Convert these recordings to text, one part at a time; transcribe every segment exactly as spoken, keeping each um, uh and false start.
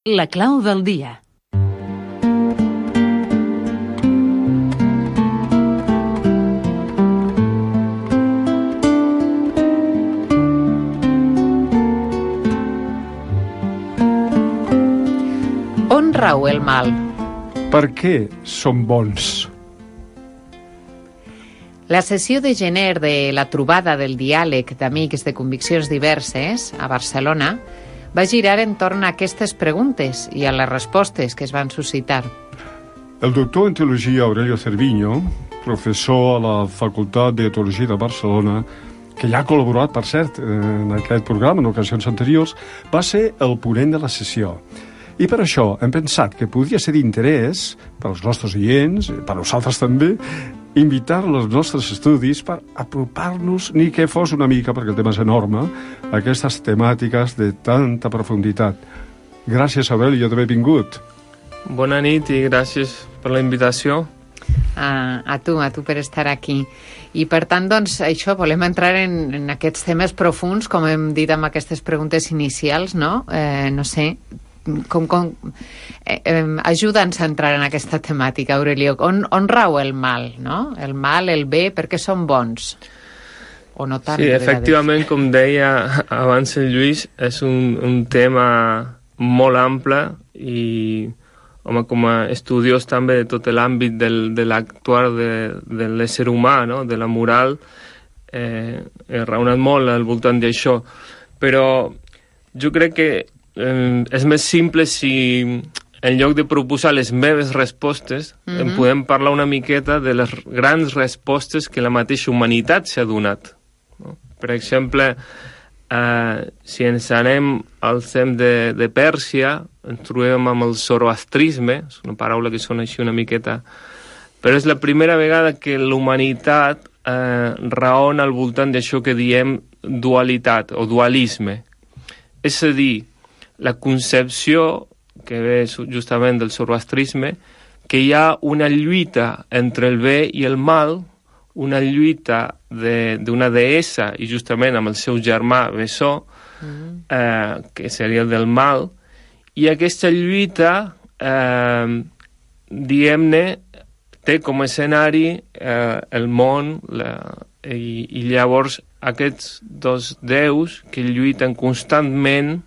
La clau del dia. On rau el mal? Per què som bons? La sessió de gener de la trobada del diàleg d'amics de conviccions diverses a Barcelona va girar entorn a aquestes preguntes i a les respostes que es van suscitar. El doctor en teologia Aurelio Cerviño, professor a la Facultat de Teologia de Barcelona, que ja ha col·laborat, per cert, en aquest programa en ocasions anteriors, va ser el ponent de la sessió. I per això hem pensat que podria ser d'interès per als nostres oients, per a nosaltres també, invitar-los als nostres estudis per apropar-nos, ni que fos una mica, perquè el tema és enorme, a aquestes temàtiques de tanta profunditat. Gràcies, Aurelio, d'haver vingut. Bona nit i gràcies per la invitació. A, a tu, a tu per estar aquí. I per tant, doncs, això, volem entrar en, en aquests temes profuns, com hem dit amb aquestes preguntes inicials, no? Eh, no sé, com, com, eh, eh, ajuda'ns a entrar en aquesta temàtica, Aurelio. On, on rau el mal, no? El mal, el bé, per què són bons? O no tant? Sí, efectivament, com deia abans el Lluís, és un, un tema molt ample i, home, com a estudiós també de tot l'àmbit del, de l'actuar de, de l'ésser humà, no? De la moral, eh, he raonat molt al voltant d'això. Però jo crec que eh, és més simple si en lloc de proposar les meves respostes, mm-hmm. en podem parlar una miqueta de les grans respostes que la mateixa humanitat s'ha donat. No? Per exemple, eh, si ens anem al temps de, de Pèrsia, ens trobem amb el zoroastrisme, és una paraula que sona així una miqueta, però és la primera vegada que la humanitat eh, raona al voltant d'això que diem dualitat o dualisme. És a dir, la concepció que ve justament del zoroastrisme, que hi ha una lluita entre el bé i el mal, una lluita d'una de, deessa i justament amb el seu germà Bessó, mm. eh, que seria el del mal, i aquesta lluita, eh, diguem-ne, té com a escenari eh, el món, la, i, i llavors aquests dos déus que lluiten constantment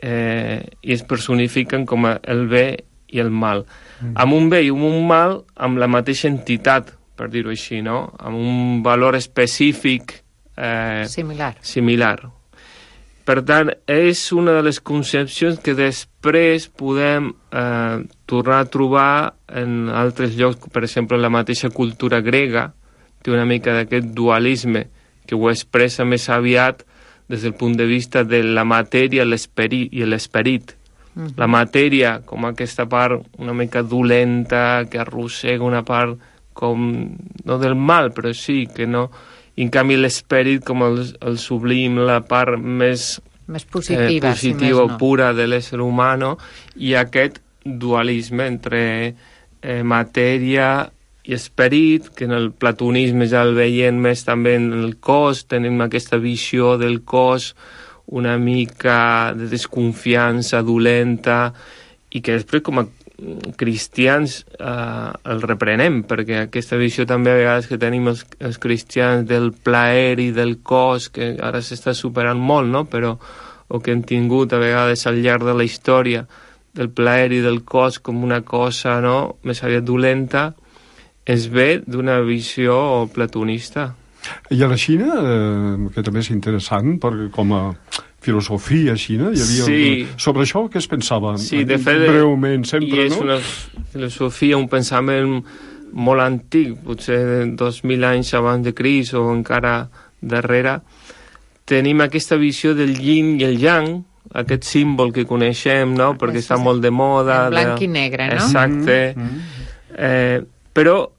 eh, i es personifiquen com a el bé i el mal. Mm. Amb un bé i amb un mal, amb la mateixa entitat, per dir-ho així, no? Amb un valor específic eh, similar. similar. Per tant, és una de les concepcions que després podem eh, tornar a trobar en altres llocs, per exemple, la mateixa cultura grega, té una mica d'aquest dualisme que ho expressa més aviat des del punt de vista de la matèria l'esperit i l'esperit. Mm-hmm. La matèria com aquesta part una mica dolenta, que arrossega una part com, no del mal, però sí, que no... I en canvi l'esperit com el, el sublim, la part més... més positiva, eh, positiva si més no. Pura de l'ésser humà, no? I aquest dualisme entre eh, matèria i esperit, que en el platonisme ja el veiem més també en el cos, tenim aquesta visió del cos una mica de desconfiança dolenta i que després com a cristians eh, el reprenem, perquè aquesta visió també a vegades que tenim els, els cristians del plaer i del cos, que ara s'està superant molt, no? Però o que hem tingut a vegades al llarg de la història del plaer i del cos com una cosa, no?, més aviat dolenta, es ve d'una visió platonista. I a la Xina, eh, que també és interessant, perquè com a filosofia xina, hi havia... Sí. Sobre això què es pensava? Sí, de fet... Breument, sempre, i és no? una filosofia, un pensament molt antic, potser dos mil anys abans de Crist o encara darrere. Tenim aquesta visió del yin i el yang, aquest símbol que coneixem, no?, perquè està molt de moda. En blanc de... i negre, no? Exacte. Mm-hmm. Eh, però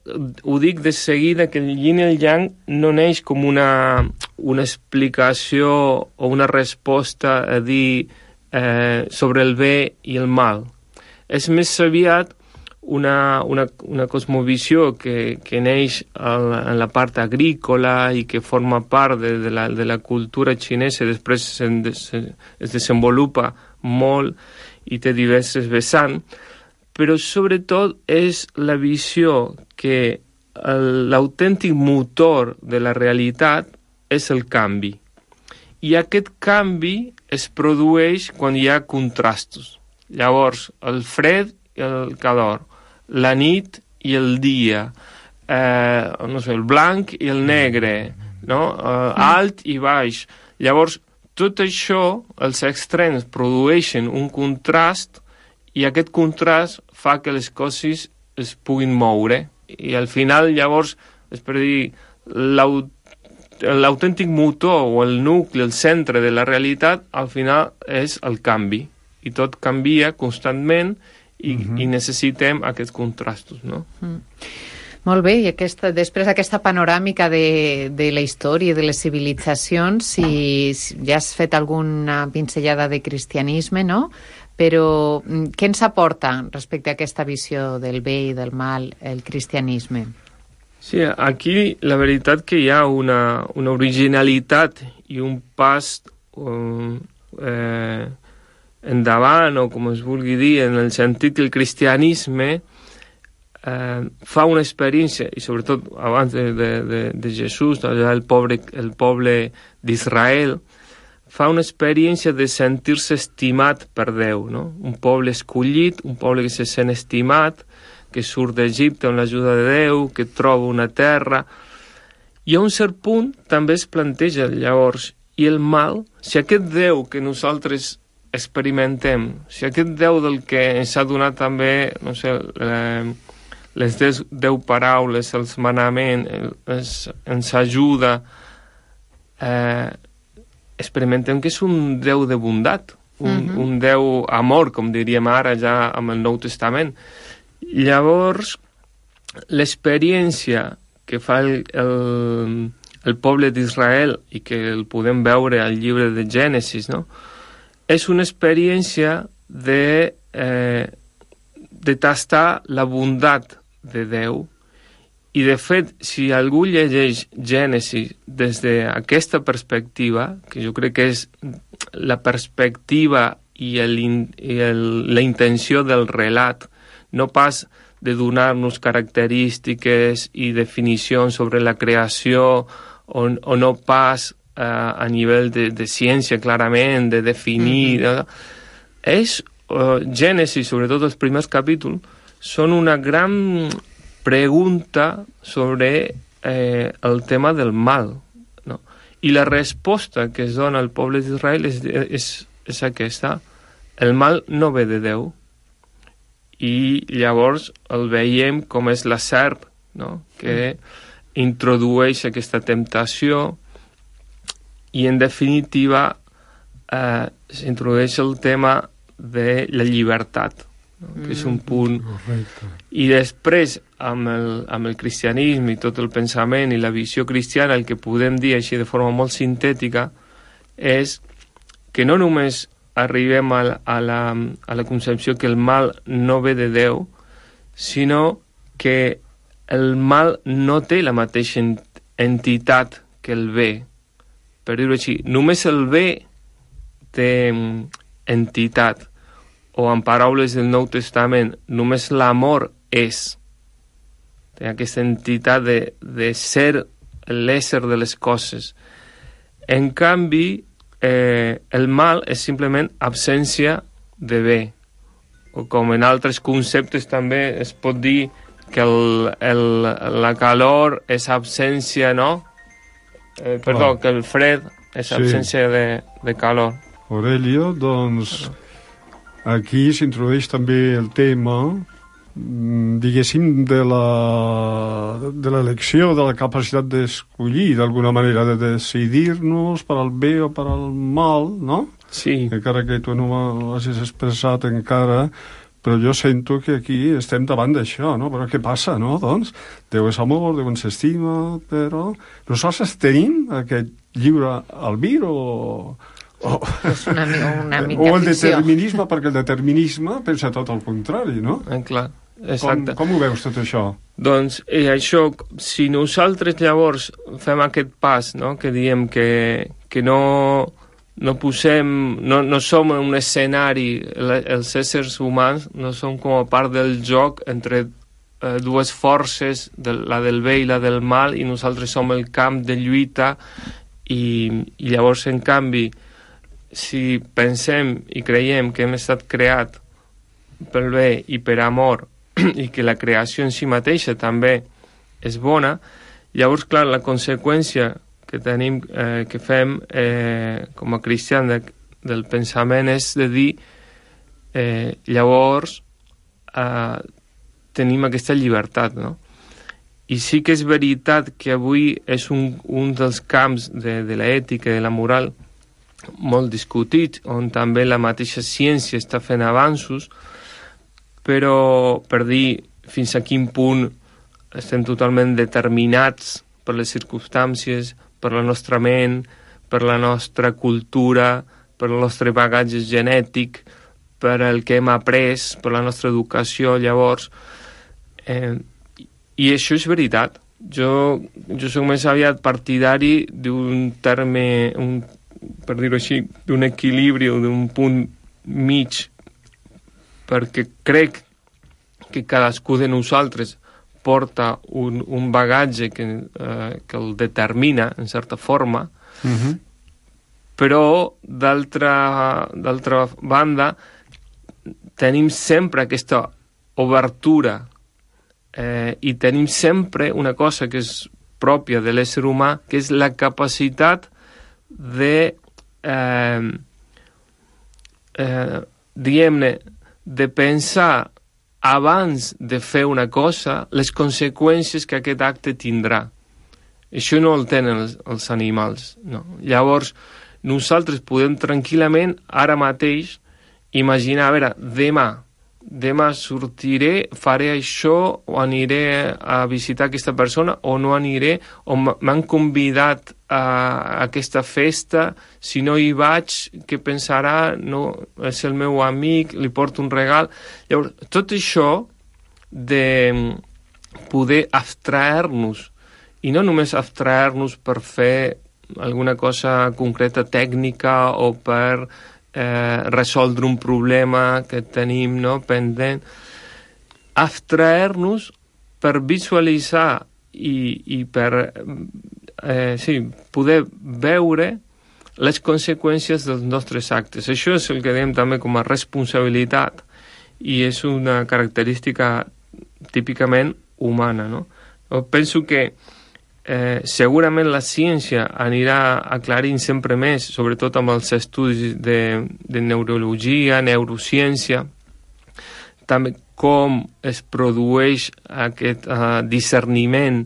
ho dic de seguida que el yin i el yang no neix com una, una explicació o una resposta a dir eh, sobre el bé i el mal. És més aviat una, una, una cosmovisió que, que neix la, en la part agrícola i que forma part de, de, la, de la cultura xinesa i després se, se, es desenvolupa molt i té diverses vessants, però sobretot és la visió que l'autèntic motor de la realitat és el canvi. I aquest canvi es produeix quan hi ha contrastos. Llavors, el fred i el calor, la nit i el dia, eh, no sé, el blanc i el negre, no? eh, alt i baix. Llavors, tot això, els extrems produeixen un contrast i aquest contrast fa que les coses es puguin moure. I al final, llavors, és per dir, l'autèntic motor o el nucli, el centre de la realitat, al final és el canvi. I tot canvia constantment i, mm-hmm. i necessitem aquests contrastos, no? Mm. Molt bé, i aquesta, després d'aquesta panoràmica de, de la història de les civilitzacions, si, si ja has fet alguna pinzellada de cristianisme, no? Però què ens aporta respecte a aquesta visió del bé i del mal el cristianisme? Sí, aquí la veritat que hi ha una, una originalitat i un pas um, eh, endavant, o com es vulgui dir, en el sentit que el cristianisme eh, fa una experiència, i sobretot abans de, de, de, de Jesús, el poble, el poble d'Israel, fa una experiència de sentir-se estimat per Déu, no? Un poble escollit, un poble que se sent estimat, que surt d'Egipte amb l'ajuda de Déu, que troba una terra. I a un cert punt també es planteja llavors, i el mal, si aquest Déu que nosaltres experimentem, si aquest Déu del que ens ha donat també, no sé, les deu paraules, els manaments, ens, ens ajuda, eh, experimentem que és un Déu de bondat, un, uh-huh. un Déu amor, com diríem ara ja amb el Nou Testament. Llavors, l'experiència que fa el, el, el poble d'Israel i que el podem veure al llibre de Gènesis, no? És una experiència de, eh, de tastar la bondat de Déu. I, de fet, si algú llegeix Gènesis des d'aquesta perspectiva, que jo crec que és la perspectiva i, el, i el, la intenció del relat, no pas de donar-nos característiques i definicions sobre la creació, o, o no pas eh, a nivell de, de ciència, clarament, de definir... Mm-hmm. És, uh, Gènesis, sobretot els primers capítols, són una gran pregunta sobre eh, el tema del mal, no? I la resposta que es dona al poble d'Israel és, és, és aquesta. El mal no ve de Déu. I llavors el veiem com és la serp, no? Que introdueix aquesta temptació i, en definitiva, eh, s'introdueix el tema de la llibertat, no? Que és un punt... Correcte. I després, amb el, amb el cristianisme i tot el pensament i la visió cristiana, el que podem dir així de forma molt sintètica és que no només arribem a, a, la, a la concepció que el mal no ve de Déu, sinó que el mal no té la mateixa entitat que el bé. Per dir-ho així, només el bé té entitat, o en paraules del Nou Testament, només l'amor és. Té aquesta entitat de, de ser l'ésser de les coses. En canvi, eh, el mal és simplement absència de bé. O com en altres conceptes també es pot dir que el, el, la calor és absència, no? Eh, perdó, oh. que el fred és absència sí. de, de calor. Aurelio, doncs... Aquí s'introdueix també el tema, diguéssim, de la de l'elecció, de la capacitat d'escollir, d'alguna manera, de decidir-nos per al bé o per al mal, no? Sí. Encara que tu no ho hagis expressat encara, però jo sento que aquí estem davant d'això, no? Però què passa, no? Doncs, Déu és amor, Déu ens estima, però nosaltres tenim aquest lliure albir o... Oh. És una, una mica o el ficció. determinisme, perquè el determinisme pensa tot el contrari, no? Eh, clar, exacte. Com, com ho veus tot això? Doncs eh, això, si nosaltres llavors fem aquest pas, no? Que diem que, que no, no posem, no, no som en un escenari, els éssers humans no som com a part del joc entre eh, dues forces, de, la del bé i la del mal, i nosaltres som el camp de lluita, i, i llavors, en canvi, si pensem i creiem que hem estat creat pel bé i per amor, i que la creació en si mateixa també és bona, llavors, clar, la conseqüència que tenim, eh, que fem eh, com a cristians de, del pensament és de dir eh, llavors eh, tenim aquesta llibertat, no? I sí que és veritat que avui és un, un dels camps de, de l'ètica i de la moral molt discutit, on també la mateixa ciència està fent avanços, però per dir fins a quin punt estem totalment determinats per les circumstàncies, per la nostra ment, per la nostra cultura, per el nostre bagatge genètic, per el que hem après, per la nostra educació, llavors. Eh, I això és veritat. Jo, jo soc més aviat partidari d'un terme, un, per dir-ho així, d'un equilibri o d'un punt mig, perquè crec que cadascú de nosaltres porta un, un bagatge que, eh, que el determina, en certa forma, uh-huh. però, d'altra, d'altra banda, tenim sempre aquesta obertura eh, i tenim sempre una cosa que és pròpia de l'ésser humà, que és la capacitat de, eh, eh, diguem-ne, de pensar abans de fer una cosa, les conseqüències que aquest acte tindrà. Això no el tenen els, els animals, no. Llavors, nosaltres podem tranquil·lament, ara mateix, imaginar, a veure, demà, demà sortiré, faré això, o aniré a visitar aquesta persona, o no aniré, o m'han convidat a aquesta festa, si no hi vaig, què pensarà? No, és el meu amic, li porto un regal. Llavors, tot això de poder abstraer-nos, i no només abstraer-nos per fer alguna cosa concreta tècnica o per eh, resoldre un problema que tenim, no, pendent, abstraer-nos per visualitzar i, i per eh, sí, poder veure les conseqüències dels nostres actes. Això és el que diem també com a responsabilitat i és una característica típicament humana, no? Jo penso que Eh, segurament la ciència anirà aclarint sempre més, sobretot amb els estudis de, de neurologia, neurociència, també com es produeix aquest uh, discerniment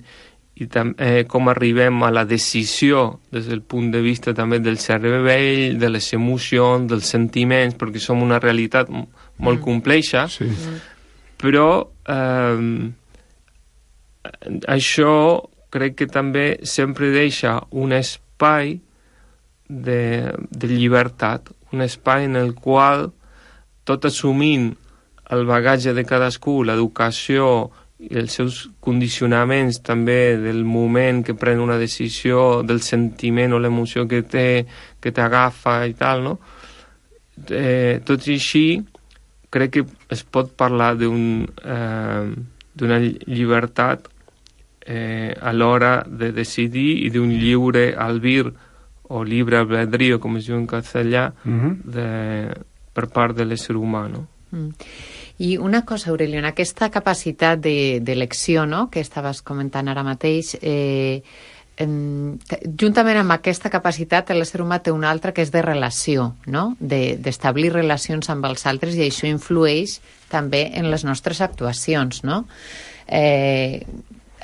i tam, eh, com arribem a la decisió des del punt de vista també del cervell, de les emocions, dels sentiments, perquè som una realitat m- molt mm. complexa, sí. Però eh, això crec que també sempre deixa un espai de, de llibertat, un espai en el qual, tot assumint el bagatge de cadascú, l'educació i els seus condicionaments també del moment que pren una decisió, del sentiment o l'emoció que té, que t'agafa i tal, no? Eh, tot i així, crec que es pot parlar d'un, eh, d'una llibertat Eh, a l'hora de decidir i d'un lliure albir o libre albedrío, com es diu en castellà, uh-huh. de, per part de l'ésser humà, no? Mm. I una cosa, Aurelio, en aquesta capacitat de, d'elecció, no?, que estaves comentant ara mateix, eh, en, juntament amb aquesta capacitat l'ésser humà té una altra que és de relació, no?, de, d'establir relacions amb els altres, i això influeix també en les nostres actuacions, no? Eh,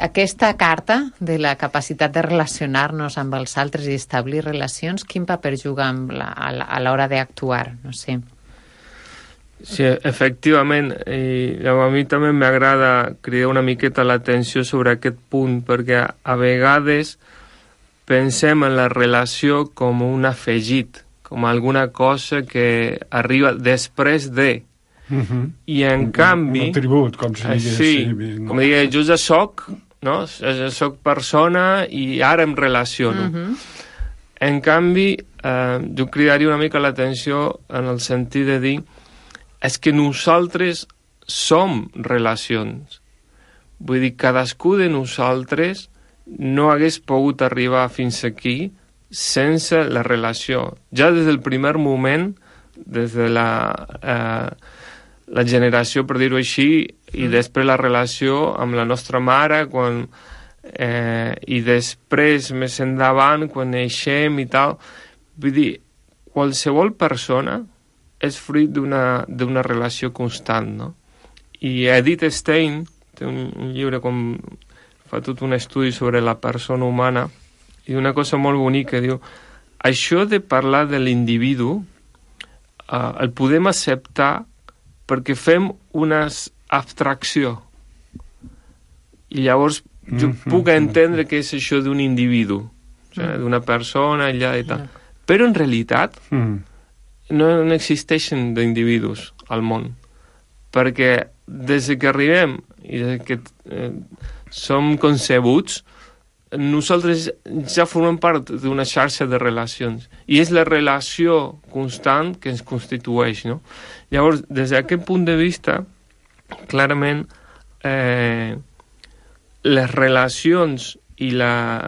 Aquesta carta de la capacitat de relacionar-nos amb els altres i establir relacions, quin paper juga amb la, a l'hora d'actuar? No sé. Sí, efectivament. I a mi també m'agrada cridar una miqueta l'atenció sobre aquest punt, perquè a vegades pensem en la relació com un afegit, com alguna cosa que arriba després de... Uh-huh. I en un, canvi... Un atribut, com si digués. Sí, no? Com digués, jo ja soc, no? Ja soc persona i ara em relaciono. Uh-huh. En canvi, eh, jo cridaria una mica l'atenció en el sentit de dir és que nosaltres som relacions. Vull dir, cadascú de nosaltres no hagués pogut arribar fins aquí sense la relació. Ja des del primer moment, des de la, eh, la generació, per dir-ho així, i mm. després la relació amb la nostra mare, quan, eh, i després, més endavant, quan neixem i tal. Vull dir, qualsevol persona és fruit d'una d'una relació constant, no? I Edith Stein té un, un llibre com fa tot un estudi sobre la persona humana i una cosa molt bonica, diu això de parlar de l'individu eh, el podem acceptar perquè fem una abstracció i llavors jo mm-hmm. puc entendre què és això d'un individu, o sigui, d'una persona allà i tal, però en realitat mm. no, no existeixen d'individus al món, perquè des que arribem i des que eh, som concebuts, nosaltres ja formem part d'una xarxa de relacions i és la relació constant que ens constitueix, no? Llavors, des d'aquest punt de vista, clarament eh, les relacions i la,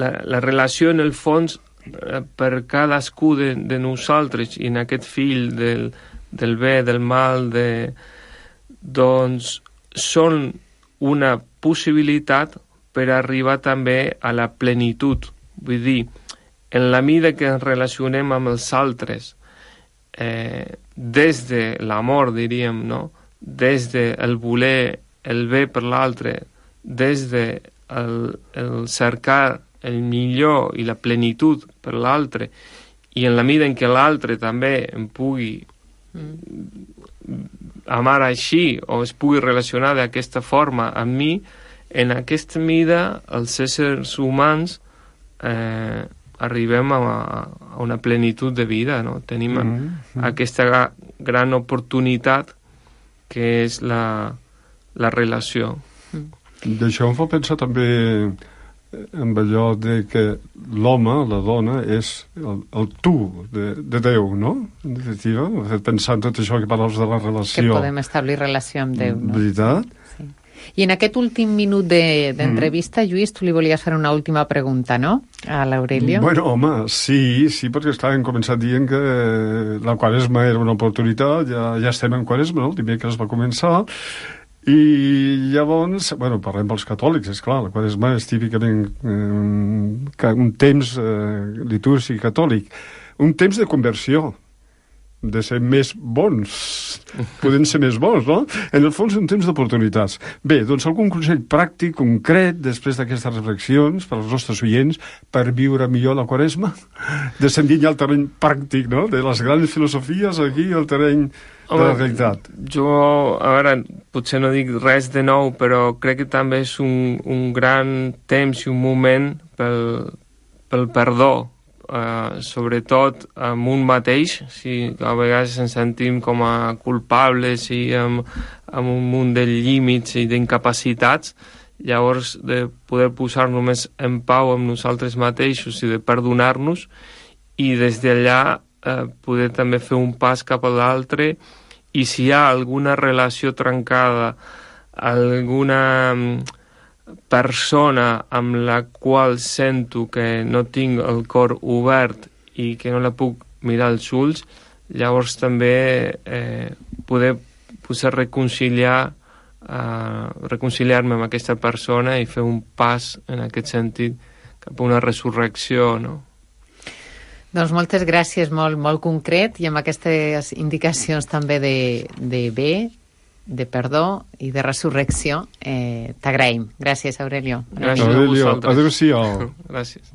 la, la relació en el fons eh, per cadascú de, de nosaltres i en aquest fil del, del bé, del mal, de, doncs són una possibilitat per arribar també a la plenitud. Vull dir, en la mida que ens relacionem amb els altres, eh, des de l'amor, diríem, no? Des del voler el bé per l'altre, des de el, el cercar el millor i la plenitud per l'altre, i en la mida en què l'altre també em pugui mm. amar així o es pugui relacionar d'aquesta forma amb mi, en aquesta mida els éssers humans eh, arribem a, a una plenitud de vida, no? Tenim mm-hmm. aquesta gran oportunitat que és la, la relació. Mm. D'això em fa pensar també amb allò de que l'home, la dona, és el, el tu de, de Déu, no? En definitiva, pensant tot això que parles de la relació. Que podem establir relació amb Déu, no? Veritat? Sí. I en aquest últim minut d'entrevista, de, mm. Lluís, tu li volies fer una última pregunta, no? A l'Aurelio. Bueno, home, sí, sí, perquè esclar, hem començat dient que la Quaresma era una oportunitat, ja, ja estem en Quaresma, no? El dimecres va començar, i llavors, bueno, parlem pels catòlics, és clar, la Quaresma és típicament eh, un temps eh, litúrgic catòlic, un temps de conversió, de ser més bons, podem ser més bons, no? En el fons, un temps d'oportunitats. Bé, doncs algun consell pràctic, concret, després d'aquestes reflexions, per als nostres oients, per viure millor la Quaresma? Descendint ja al terreny pràctic, no?, de les grans filosofies, aquí, al terreny de la realitat. Jo, a veure, potser no dic res de nou, però crec que també és un, un gran temps i un moment pel, pel perdó, Uh, sobretot amb un mateix, si a vegades ens sentim com a culpables i amb, amb un munt de límits i d'incapacitats, llavors de poder posar només en pau amb nosaltres mateixos i de perdonar-nos i des d'allà uh, poder també fer un pas cap a l'altre i si hi ha alguna relació trencada, alguna persona amb la qual sento que no tinc el cor obert i que no la puc mirar als ulls, llavors també eh, poder, poder reconciliar eh, reconciliar-me amb aquesta persona i fer un pas en aquest sentit cap a una resurrecció, no? Doncs moltes gràcies, molt, molt concret, i amb aquestes indicacions també de, de bé, de perdó i de resurrecció, eh, t'agraïm. Gràcies, Aurelio. Gràcies a vosaltres. Adéu-siau. Gràcies.